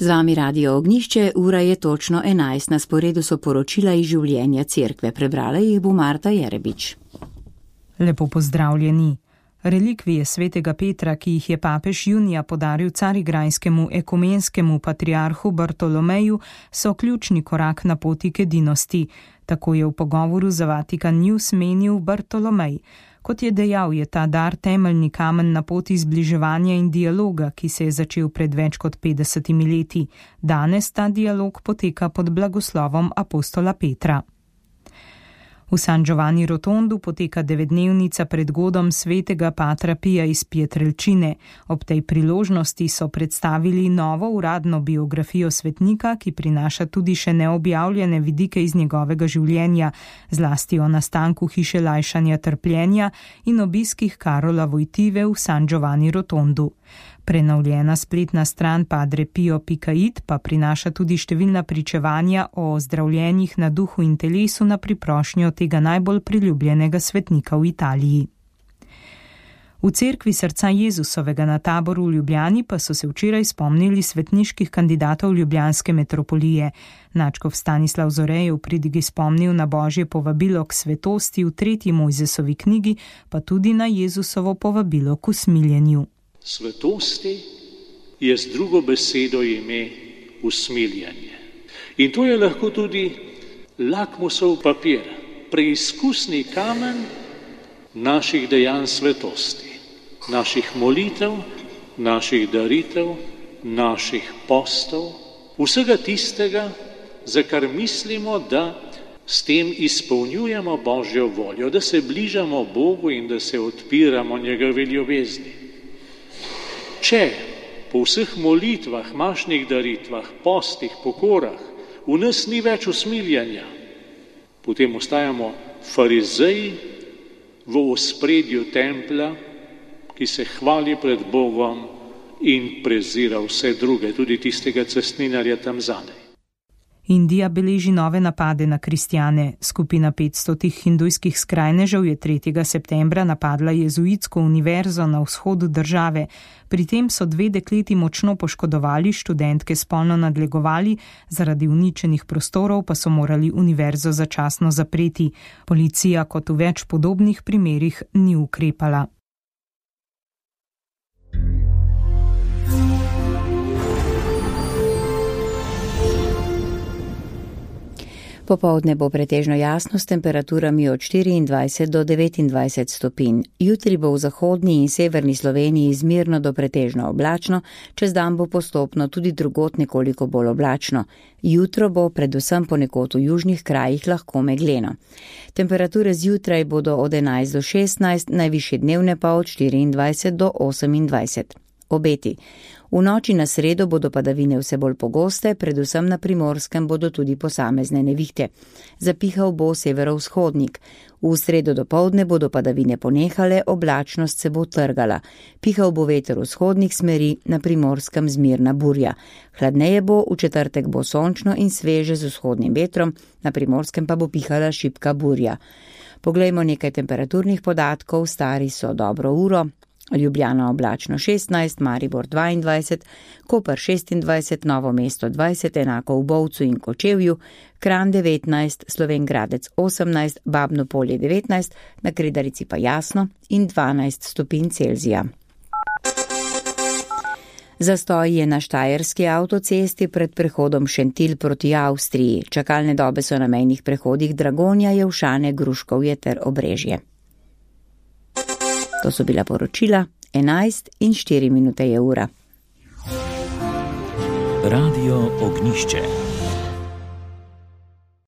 Z vami Radio Ognjišče, ura je točno 11, na sporedu so poročila iz življenja cerkve. Prebrala jih bo Marta Jerebič. Lepo pozdravljeni. Relikvije svetega Petra, ki jih je papež junija podaril carigrajskemu ekumenskemu patriarhu Bartolomeju, so ključni korak na poti k edinosti. Tako je v pogovoru za Vatikan News menil Bartolomej. Kot je dejal, je ta dar temeljni kamen na poti zbliževanja in dialoga, ki se je začel pred več kot 50 leti. Danes ta dialog poteka pod blagoslovom apostola Petra. V San Giovanni Rotondu poteka 9-dnevnica pred godom svetega Patra Pija iz Pietrelcine. Ob tej priložnosti so predstavili novo uradno biografijo svetnika, ki prinaša tudi še neobjavljene vidike iz njegovega življenja, zlasti o nastanku hiše lajšanja trpljenja in obiskih Karola Wojtyły v San Giovanni Rotondu. Prenovljena spletna stran padrepio.it pa prinaša tudi številna pričevanja o zdravljenjih na duhu in telesu na priprošnjo tega najbolj priljubljenega svetnika v Italiji. V cerkvi srca Jezusovega na Taboru v Ljubljani pa so se včeraj spomnili svetniških kandidatov ljubljanske metropolije. Nadškof Stanislav Zore je v pridigi spomnil na Božje povabilo k svetosti v 3. Mojzesovi knjigi, pa tudi na Jezusovo povabilo k usmiljenju. Svetosti je z drugo besedo ime usmiljanje. In to je lahko tudi lakmusov papir, preizkusni kamen naših dejanj svetosti, naših molitev, naših daritev, naših postov, vsega tistega, za kar mislimo, da s tem izpolnjujemo Božjo voljo, da se bližamo Bogu in da se odpiramo njegovi ljubezni. Če po vseh molitvah, mašnih daritvah, postih, pokorah v nas ni več usmiljanja, potem ostajamo farizeji v ospredju templja, ki se hvali pred Bogom in prezira vse druge, tudi tistega cestninarja tam zadaj. Indija beleži nove napade na kristjane. Skupina 500 hindujskih skrajnežev je 3. septembra napadla jezuitsko univerzo na vzhodu države. Pri tem so 2 dekleti močno poškodovali, študentke spolno nadlegovali, zaradi uničenih prostorov pa so morali univerzo začasno zapreti. Policija kot v več podobnih primerih ni ukrepala. Popoldne bo pretežno jasno s temperaturami od 24 do 29 stopinj. Jutri bo v zahodni in severni Sloveniji zmerno do pretežno oblačno, čez dan bo postopno tudi drugod nekoliko bolj oblačno. Jutro bo predvsem ponekod v južnih krajih lahko megleno. Temperature zjutraj bodo od 11 do 16, najvišje dnevne pa od 24 do 28. Obeti. V noči na sredo bodo padavine vse bolj pogoste, predvsem na Primorskem bodo tudi posamezne nevihte. Zapihal bo severovzhodnik. V sredo dopoldne bodo padavine ponehale, oblačnost se bo trgala. Pihal bo veter vzhodnih smeri, na Primorskem zmirna burja. Hladneje bo, v četrtek bo sončno in sveže z vzhodnim vetrom, na Primorskem pa bo pihala šibka burja. Poglejmo nekaj temperaturnih podatkov, stari so dobro uro. Ljubljana oblačno 16, Maribor 22, Koper 26, Novo mesto 20, enako v Bovcu in Kočevju, Kranj 19, Slovenj Gradec 18, Babno Polje 19, na Kredarici pa jasno in 12 stopinj Celzija. Zastoj je na štajerski avtocesti pred prehodom Šentilj proti Avstriji. Čakalne dobe so na mejnih prehodih Dragonja, Jelšane, Gruškovje ter Obrežje. To so bila poročila, 11 in 4 minute je ura. Radio Ognjišče.